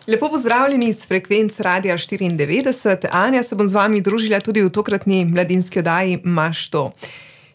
Lepo pozdravljeni iz frekvenc Radia 94. Anja, se bom z vami družila tudi v tokratni mladinski oddaji Maš to.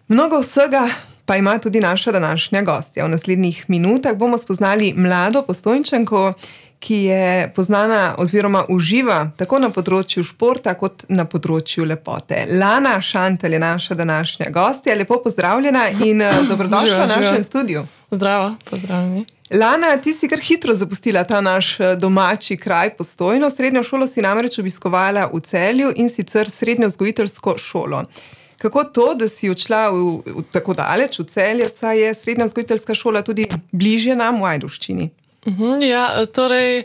Mnogo vsega pa ima tudi naša današnja gostja. V naslednjih minutah bomo spoznali mlado Postojnčanko, ki je poznana oziroma uživa tako na področju športa kot na področju lepote. Lana Šantelj je naša današnja gostja. Lepo pozdravljena in dobrodošla v našem studiu. Zdravo, pozdravljeni. Lana, ti si kar hitro zapustila ta naš domači kraj Postojno. Srednjo šolo si namreč obiskovala v Celju in sicer srednjo vzgojiteljsko šolo. Kako to, da si odšla v tako daleč v Celje, saj je srednja vzgojiteljska šola tudi bližje nam v Ajdovščini? Ja, torej,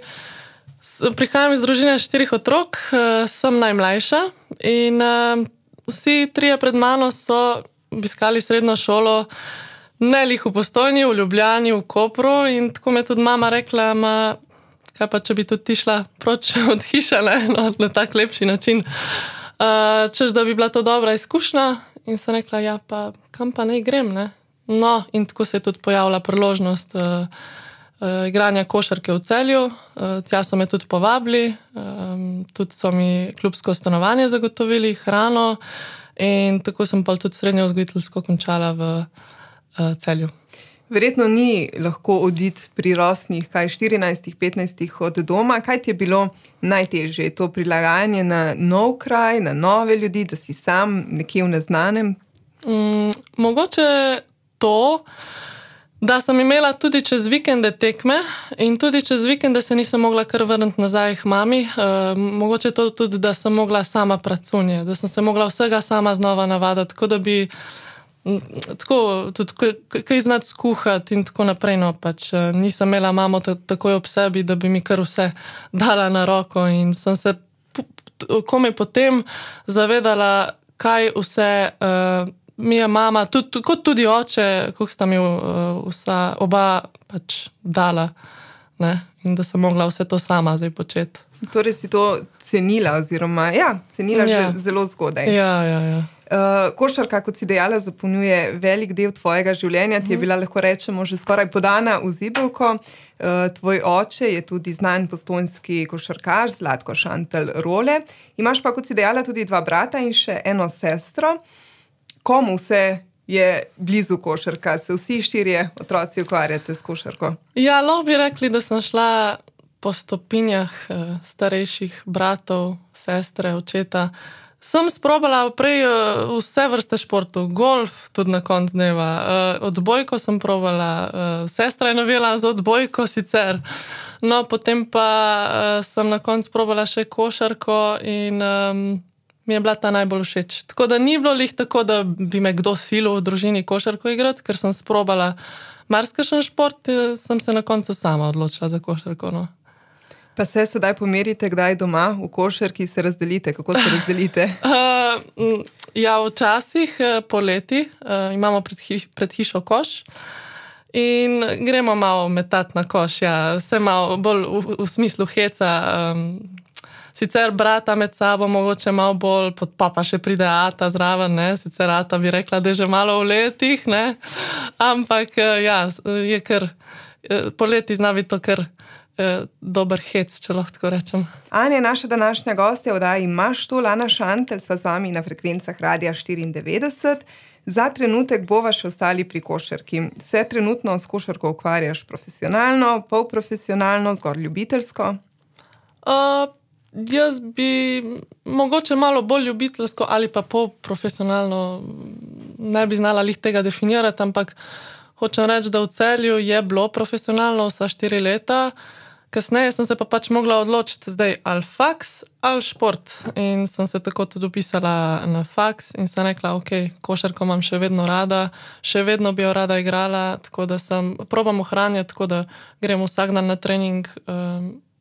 prihajam iz družine 4 otrok, sem najmlajša in vsi trije pred mano so obiskali srednjo šolo, ne lih v Postojni, v Ljubljani, v Kopru, in tako mi je tudi mama rekla, kaj pa, če bi tudi ti šla proč od hiše, na tak lepši način, češ, da bi bila to dobra izkušnja, in sem rekla, ja, pa kam pa ne grem, ne? No, in tako se je tudi pojavila priložnost igranja košarke v Celju, tja so me tudi povabili, tudi so mi klubsko stanovanje zagotovili, hrano, in tako sem pa tudi srednjo vzgojiteljsko končala v Celju. Verjetno ni lahko oditi pri rosnih, 14-15 od doma. Kaj ti je bilo najtežje? Je to prilagajanje na nov kraj, na nove ljudi, da si sam nekje v neznanem? Mogoče to, da sem imela tudi čez vikende tekme in tudi čez vikende se nisem mogla kar vrniti nazaj k mami. Mogoče to tudi, da sem mogla sama pracunje, da sem se mogla vsega sama znova navaditi, tako da bi tako tudi kaj znati skuhati in tako naprej, no, pač nisem imela mamo takoj ob sebi, da bi mi kar vse dala na roko, in sem se komaj potem zavedala, kaj vse mi je mama, kot tudi oče, koliko sta mi oba pač dala, ne? In da sem mogla vse to sama zdaj početi. Torej si to cenila oziroma, cenila že zelo zgodaj. Ja. Košarka, kot si dejala, zapolnjuje velik del tvojega življenja, ti je bila, lahko rečemo, že skoraj podana v zibelko. Tvoj oče je tudi znan postojnski košarkaš, Zlatko Šantelj Role. Imaš pa, kot si dejala, tudi 2 brata in še eno sestro. Komu vse je blizu košarka? Se vsi 4 otroci ukvarjate s košarko? Ja, lahko bi rekli, da sem šla po stopinjah starejših bratov, sestre, očeta. Sem sprobala prej vse vrste športov, golf tudi na konc dneva, odbojko sem probala, sestra je navijala za odbojko sicer, no potem pa sem na konc probala še košarko in mi je bila ta najbolj všeč. Tako da ni bilo lih tako, da bi me kdo silil v družini košarko igrati, ker sem sprobala marsikakšen šport, sem se na koncu sama odločila za košarko, no. Pa se sedaj pomerite, kdaj doma v košarki se razdelite? Kako se razdelite? Ja, včasih poleti imamo pred hišo koš in gremo malo metati na koš, ja, vse malo bolj v smislu heca. Sicer brata med sabo mogoče malo bolj, pa še pride ata zraven, ne? Sicer ata bi rekla, da je že malo v letih, ne? Ampak ja, je kar, poleti zna biti to kar dober hec, če lahko tako rečem. Anja je naša današnja gostja v oddaji Maš to, Lana Šantelj, sva z vami na frekvencah Radia 94. Za trenutek bova še ostali pri košarki. Se trenutno s košarko ukvarjaš profesionalno, polprofesionalno, zgolj ljubiteljsko? Jaz bi mogoče malo bolj ljubiteljsko ali pa polprofesionalno, ne bi znala lih tega definirati, ampak hočem reči, da v Celju je bilo profesionalno vsa 4 leta, kasneje sem se pa pač mogla odločiti zdaj ali faks ali šport, in sem se tako tudi upisala na faks in sem rekla, ok, košarko imam še vedno rada, še vedno bi jo rada igrala, tako da probam ohranjati, tako da grem vsak dan na trening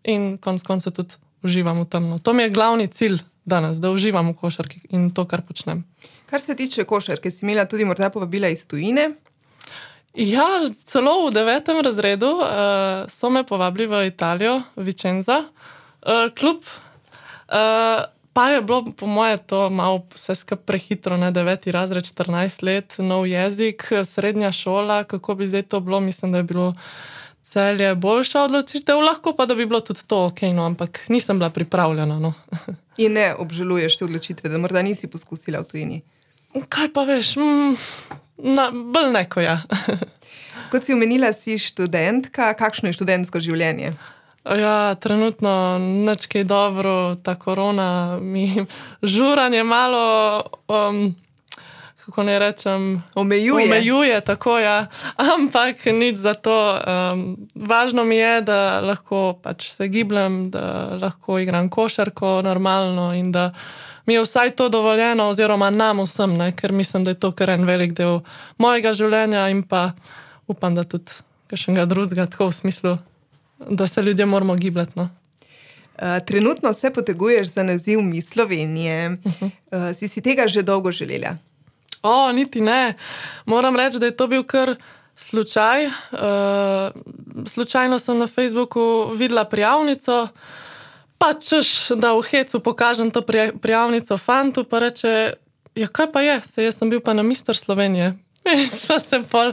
in konec koncev tudi uživam v tem. To mi je glavni cilj danes, da uživam v košarki in to, kar počnem. Kar se tiče košarke, si imela tudi morda povabila iz tujine? Ja, celo v 9. razredu so me povabili v Italijo, Vicenza, klub. Pa je bilo po moje to malo vse skupaj prehitro, ne, 9. razred, 14 let, nov jezik, srednja šola, kako bi zdaj to bilo, mislim, da je bilo Celje je boljša odločitev, lahko pa, da bi bilo tudi to ok, no, ampak nisem bila pripravljena. No. In ne obžaluješ te odločitve, da morda nisi poskusila v tujini? Kaj pa veš, bolj neko, ja. Kot si omenila, si študentka, kakšno je študentsko življenje? Ja, trenutno nič kaj dobro, ta korona mi žuranje malo, kako ne rečem, omejuje, tako ja, ampak nič za to. Važno mi je, da lahko pač se gibljem, da lahko igram košarko normalno in da mi je vsaj to dovoljeno, oziroma nam vsem, ne, ker mislim, da je to kar en velik del mojega življenja in pa upam, da tudi kakšnega drugega, tako v smislu, da se ljudje moramo gibljati. No. Trenutno se poteguješ za naziv Miss Slovenije. Si tega že dolgo želela? Niti ne. Moram reči, da je to bil kar slučaj. Slučajno sem na Facebooku videla prijavnico, pa češ, da v hecu pokažem to prijavnico fantu, pa reče, ja kaj pa je, jaz sem bil pa na Mister Slovenije. In sva se pol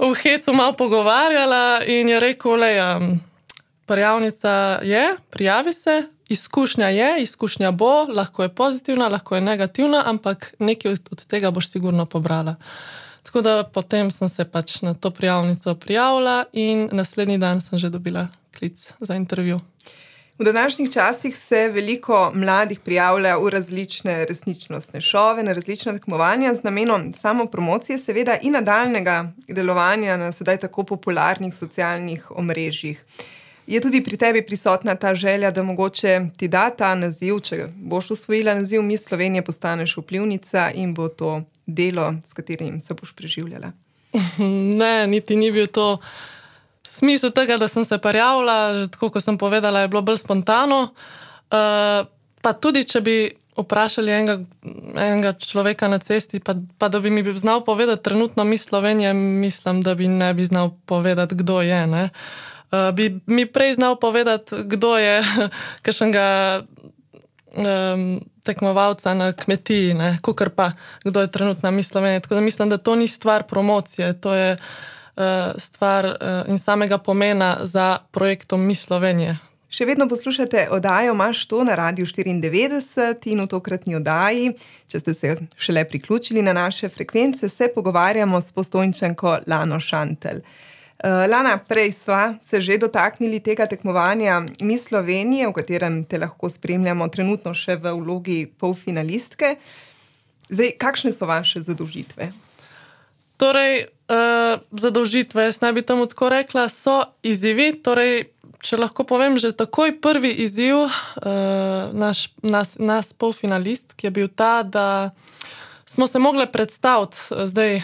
v hecu malo pogovarjala in je rekel, prijavnica je, prijavi se, izkušnja bo, lahko je pozitivna, lahko je negativna, ampak nekaj od tega boš sigurno pobrala. Tako da potem sem se pač na to prijavnico prijavila in naslednji dan sem že dobila klic za intervju. V današnjih časih se veliko mladih prijavlja v različne resničnostne šove, na različna tekmovanja z namenom samopromocije, seveda in nadaljnega delovanja na sedaj tako popularnih socialnih omrežjih. Je tudi pri tebi prisotna ta želja, da mogoče ti da ta naziv, če boš osvojila naziv Miss Slovenije, postaneš vplivnica in bo to delo, s katerim se boš preživljala? Ne, niti ni bil to smisel tega, da sem se prijavila, že tako, kot sem povedala, je bilo bolj spontano. Pa tudi, če bi vprašali enega človeka na cesti, pa da bi mi znal povedati trenutno Miss Slovenije, mislim, da bi ne bi znal povedati, kdo je, ne. Bi mi prej znal povedati, kdo je kakšnega tekmovalca na kmetiji, ne, kakor pa, kdo je trenutna Miss Slovenije. Tako da mislim, da to ni stvar promocije, to je stvar in samega pomena za projektom Miss Slovenije. Še vedno poslušate oddajo Maš to na Radiu 94 in v tokratni oddaji, če ste se šele priključili na naše frekvence, se pogovarjamo s Postojnčanko Lano Šantelj. Lana, prej sva se že dotaknili tega tekmovanja Miss Slovenije, v katerem te lahko spremljamo trenutno še v vlogi polfinalistke. Zdaj, kakšne so vaše zadolžitve? Torej, zadolžitve, jaz naj bi temu tako rekla, so izzivi. Torej, če lahko povem, že takoj prvi izziv nas polfinalistk je bil ta, da smo se mogli predstaviti, zdaj,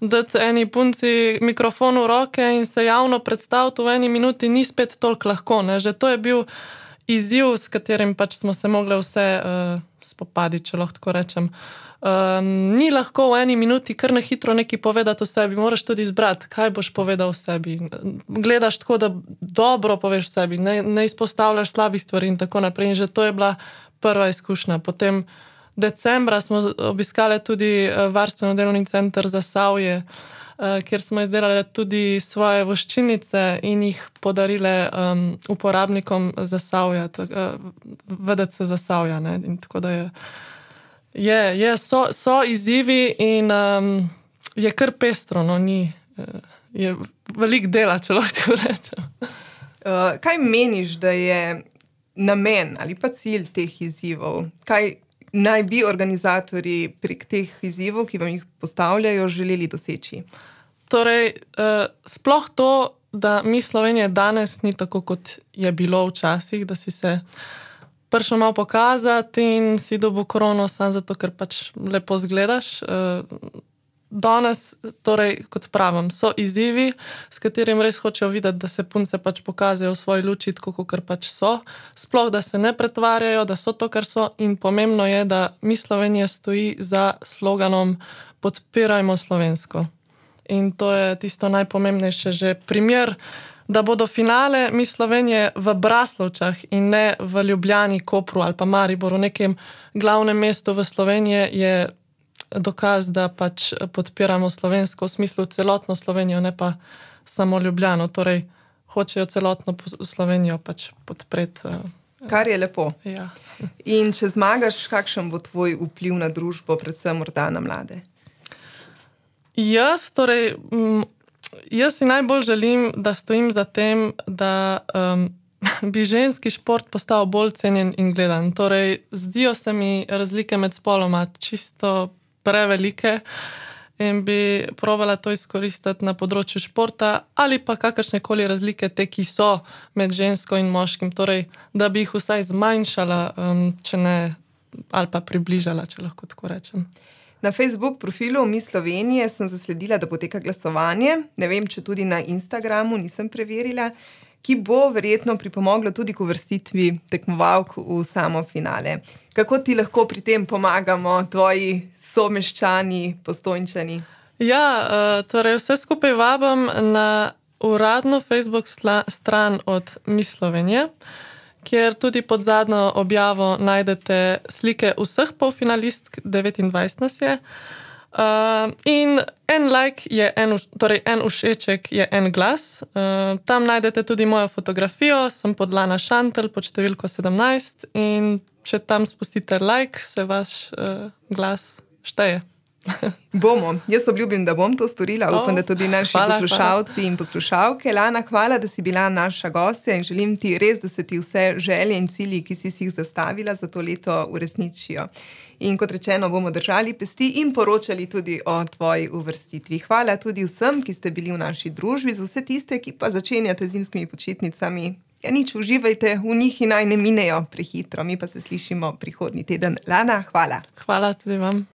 dati eni punci mikrofon v roke in se javno predstaviti v eni minuti ni spet toliko lahko, ne. Že to je bil izziv, s katerim pač smo se mogli vse spopaditi, če lahko tako rečem. Ni lahko v eni minuti kar na hitro nekaj povedati o sebi, moraš tudi izbrati, kaj boš povedal o sebi. Gledaš tako, da dobro poveš o sebi, ne izpostavljaš slabih stvari in tako naprej. In že to je bila prva izkušnja. Potem decembra smo obiskali tudi varstveno-delovni center Zasavje, kjer smo izdelali tudi svoje voščilnice in jih podarile uporabnikom Zasavja, VDC Zasavja, ne. In tako da so izzivi in je kar pestro, no, je veliko dela, če lahko tako rečem. Kaj meniš, da je namen ali pa cilj teh izzivov? Kaj naj bi organizatorji prek teh izzivov, ki vam jih postavljajo, želeli doseči? Torej, sploh to, da Miss Slovenije danes ni tako, kot je bilo včasih, da si se prišel malo pokazati in si dobil krono samo zato, ker pač lepo zgledaš. Danes, torej, kot pravim, so izzivi, s katerim res hočejo videti, da se punce pač pokažejo v svoji luči, tako kot pač so. Sploh, da se ne pretvarjajo, da so to, kar so. In pomembno je, da Miss Slovenija stoji za sloganom Podpirajmo slovensko. In to je tisto najpomembnejše. Že primer, da bodo finale Miss Slovenije v Braslovčah in ne v Ljubljani, Kopru ali pa Mariboru, nekem glavnem mestu v Sloveniji, je dokaz, da pač podpiramo slovensko v smislu celotno Slovenijo, ne pa samo Ljubljano. Torej, hočejo celotno Slovenijo pač podpreti. Kar je lepo. Ja. In če zmagaš, kakšen bo tvoj vpliv na družbo, predvsem morda na mlade? Jaz si najbolj želim, da stojim za tem, da bi ženski šport postal bolj cenjen in gledan. Torej, zdijo se mi razlike med spoloma čisto prevelike in bi probala to izkoristiti na področju športa ali pa kakršnekoli razlike te, ki so med žensko in moškim. Torej, da bi jih vsaj zmanjšala, če ne, ali pa približala, če lahko tako rečem. Na Facebook profilu Mi Slovenije sem zasledila, da poteka glasovanje. Ne vem, če tudi na Instagramu, nisem preverila, ki bo verjetno pripomoglo tudi k uvrstitvi tekmovalk v samo finale. Kako ti lahko pri tem pomagamo, tvoji someščani, Postojnčani? Ja, torej vse skupaj vabim na uradno Facebook stran od Mi Slovenije, kjer tudi pod zadnjo objavo najdete slike vseh polfinalistk, 29 nas je. In en like je torej en všeček je en glas. Tam najdete tudi mojo fotografijo, sem pod Lana Šantel pod številko 17 in če tam spustite like, se vaš glas šteje. Bomo. Jaz obljubim, da bom to storila. Upam, da tudi naši poslušalci in poslušalke. Lana, hvala, da si bila naša gostja in želim ti res, da se ti vse želje in cilji, ki si jih zastavila za to leto, uresničijo. In kot rečeno, bomo držali pesti in poročali tudi o tvoji uvrstitvi. Hvala tudi vsem, ki ste bili v naši družbi, za vse tiste, ki pa začenjate zimskimi počitnicami. Ja, nič, uživajte v njih in naj ne minejo prehitro. Mi pa se slišimo prihodnji teden. Lana, hvala. Hvala tudi vam.